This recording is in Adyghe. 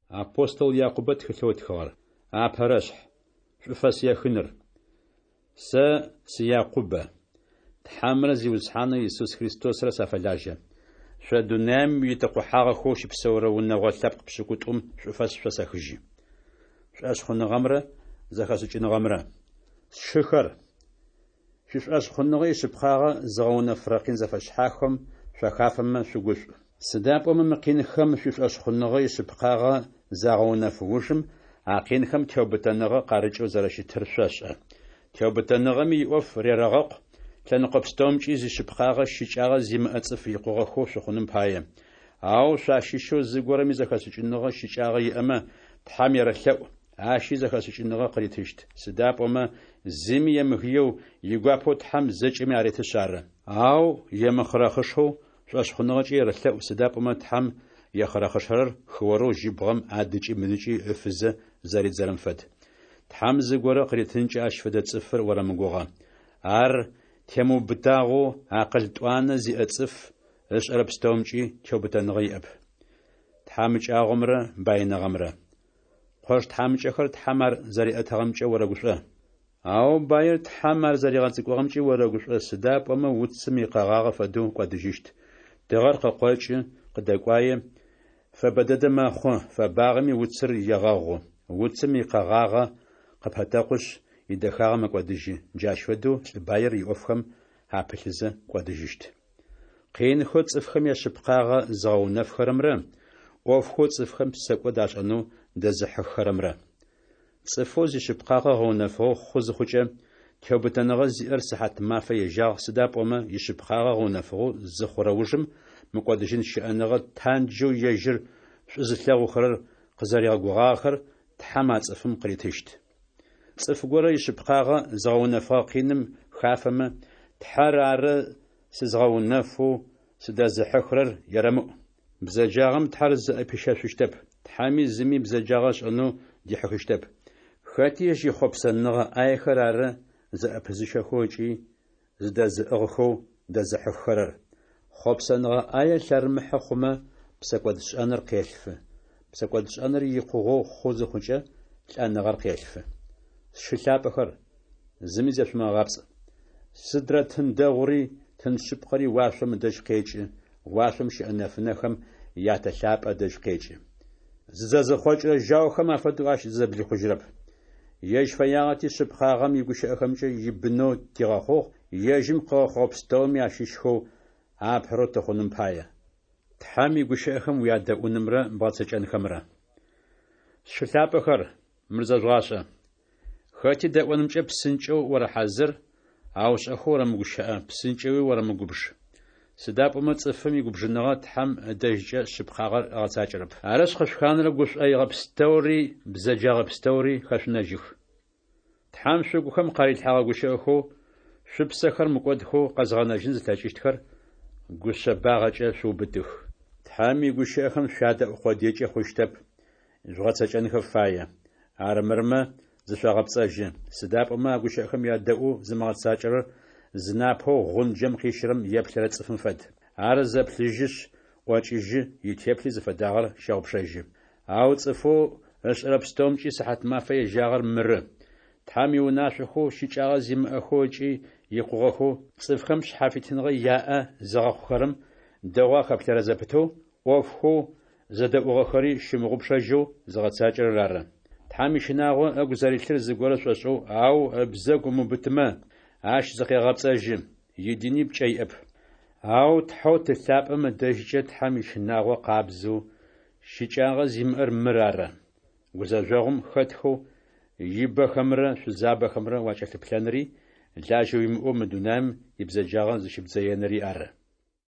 Апостол Якъубэ тхылъэу ытхыгъэр. Апэрэшъхь. Шӏуфэс ехыныр. Сэ сы Якъубэ. Тхьэмрэ Зиусхьанэу Исус Христосрэ сафэлажьэ. Шъо дунаим итэкъухьагъэхэу щыпсэурэ унэгъо лъэпкъ пшӏыкӏутӏум шӏуфэс шъосэхыжьы. Шӏошъхъуныгъэмрэ зэхэшӏыкӏыныгъэмрэ. Сшыхэр, шъуишӏошъхъуныгъэ ишъыпкъагъэ зыгъэунэфырэ къин зэфэшъхьафхэм шъуахафэмэ шъугушӏу. Сыда пӏомэ мы къинхэм шъуишӏошъхъуныгъэ ишъыпкъагъэ загъэунэф ужым, а къинхэм теубытэныгъэ къарыкӏэу зэрэщытыр шъошӏэ. Теубытэныгъэми иӏоф рерэгъэкъу, лъэныкъо пстэумкӏи зишъыпкъагъэ щыкӏагъэ зимыӏэ цӏыф икъугъэхэу шъухъуным пае. Ау шъуащыщэу зыгорэми зэхэшӏыкӏыныгъэ щыкӏагъэ иӏэмэ, Тхьэм ерэлъэӏу, ащи зэхэшӏыкӏыныгъэ къыритыщт, сыда пӏомэ зыми емыгыеу, игуапэу Тхьэм зэкӏэми аретышъ ары. Ау емыхъырэхъышэу шӏошъхъуныгъэкӏэ ерэлъэӏу, сыда пӏомэ Тхьэм ехъырэхъышэрэр хыорэу жьыбгъэм адыкӏи мыдыкӏи ыфызэ зэридзэрэм фэд. Тхьэм зыгорэ къыритынкӏэ ащ фэдэ цӏыфыр орэмыгугъэ. Ар темыубытагъэу акъыл тӏуанэ зиӏэ цӏыф, ышӏэрэ пстэумкӏи теубытэныгъэ иӏэп. Тхьамыкӏагъомрэ баиныгъэмрэ. Къош тхьамыкӏэхэр Тхьэм ар зэриӏэтыгъэмкӏэ орэгушӏо. Ау баир Тхьэм ар зэригъэцӏыкӏугъэмкӏи орэгушӏо, сыда пӏомэ уцым икъэгъагъэ фэдэу кӏодыжьыщт. Тыгъэр къыкъокӏы, къыдэкӏуае, фэбэ дэдэ мэхъу, фэбагъэми уцыр егъэгъу. Уцым икъэгъагъэ къыпэтэкъушъ, идэхагъэ мэкӏодыжьы. Джащ фэдэу лӏы баир иӏофхэм апылъызэ кӏодыжьыщт. Къинхэу цӏыфхэм яшъыпкъагъэ зыгъэунэфхэрэмрэ ӏофхэу цӏыфхэм псэкӏод ашӏэнэу дэзыхьыххэрэмрэ. Цӏыфэу зишъыпкъагъэ гъэунэфыгъэу хъу зыхъукӏэ, теубытэныгъэ зиӏэр сыхьат-мафэ ежьагъ, сыда пӏомэ ишъыпкъагъэ гъэунэфыгъэу зыхъурэ ужым мыкӏодыжьын щыӏэныгъэ танджэу ежьыр шӏу зылъэгъухэрэр къызэригъэгугъагъэхэр Тхьэм а цӏыфым къыритыщт. Цӏыф горэ ишъыпкъагъэ зыгъэунэфыгъэ къиным хафэмэ, Тхьэр ары сызгъэунэфэу сыдэзыхьыхырэр ерэмыӏу. Бзэджагъэм Тхьэр зыӏэпищэшъущтэп, Тхьэми зыми бзэджагъэ ышӏэнэу дихьыхыщтэп. Хэти ежь ихъопсэныгъэ ӏаехэр ары зыӏэпызыщэхэу ыкӏи зыдэзыӏыгъхэу дэзыхьыххэрэр. Хъопсэныгъэ ӏае лъэрымыхьэ хъумэ, псэкӏодшӏэныр къелъфы. Псэкӏодшӏэныр икъугъэу хъу зыхъукӏэ, лӏэныгъэр къелъфы. Сшы лъапӏэхэр, зыми зешъумыгъэгъапцӏ. Сыдрэ тын дэгъури, тын шъыпкъэри уашъом ыдэжь къекӏы, уашъом щыӏэ нэфынэхэм я Тэ лъапӏэ ыдэжь къекӏы. Зызэзыхъокӏырэ жьаухэм афэдэу ащ зызэблихъужьырэп. Ежь фэягъэти шъыпкъагъэм игущыӏэхэмкӏэ ибынэу тигъэхъугъ, ежьым къыгъэхъугъэ пстэуми ащыщхэу апэрэу тыхъуным пае. Тхьэм игущыӏэхэм уядэӏунымрэ бгъэцэкӏэнхэмрэ. Сшы лъапӏэхэр, мыр зэжъугъашӏэ. Хэти дэӏонымкӏэ псынкӏэу орэхьазыр, ау шӏэхэу орэмыгущыӏэ, псынкӏэуи орэмыгубж. Сыда пӏомэ цӏыфым игубжыныгъэ Тхьэм ыдэжькӏэ шъыпкъагъэр ыгъэцакӏэрэп. Арышъ, къышъуханэрэ гушӏоигъэ пстэури, бзэджагъэ пстэури хэшъунэжьых. Тхьэм шъугухэм къарилъхьэгъэ гущыӏэхэу шъупсэхэр мыкӏодхэу къэзгъэнэжьын зылъэкӏыщтхэр гушъэбагъэкӏэ шъуубытых. Тхьэм игущыӏэхэм шъуядэӏу къодыекӏэ хъущтэп, жъугъэцэкӏэнхэ фае. Армырмэ, зышъогъэпцӏэжьы. Сыда пӏомэ а гущыӏэхэм ядэӏоу зымыгъэцакӏэрэр зынапэу гъунджэм къищырэм еплъырэ цӏыфым фэд. Ар зэплъыжьышъ, ӏокӏыжьы, итеплъи зыфэдагъэр щэгъупшэжьы. Ау цӏыфэу ышӏэрэ пстэумкӏи сыхьат-мафэ ежьагъэр мыры: Тхьэм иунашъохэу щыкӏагъэ зимыӏэхэу ыкӏи икъугъэхэу, цӏыфхэм шъхьафитыныгъэ яӏэ зыгъэхъухэрэм дэгъоу ахэплъэрэ зэпытэу, ӏофхэу зэдэӏугъэхэри щымыгъупшэжьэу зыгъэцакӏэрэр ары. Тхьэм ищынагъо ыгу зэрилъыр зыгорэ шӏошӏэу, ау ыбзэгу ымыубытымэ, ащ зыкъегъэпцӏэжьы, идини пкӏэ иӏэп. Ау Тхьэу Ты лъапӏэм ыдэжькӏэ Тхьэм ищынагъо къабзэу, щыкӏагъэ зимыӏэр мыр ары: гузэжъогъум хэтхэу ибэхэмрэ шъузабэхэмрэ уакӏэлъыплъэнри, лажьэ уимыӏэу мы дунаим ибзэджагъэ зыщыбдзэенри ары.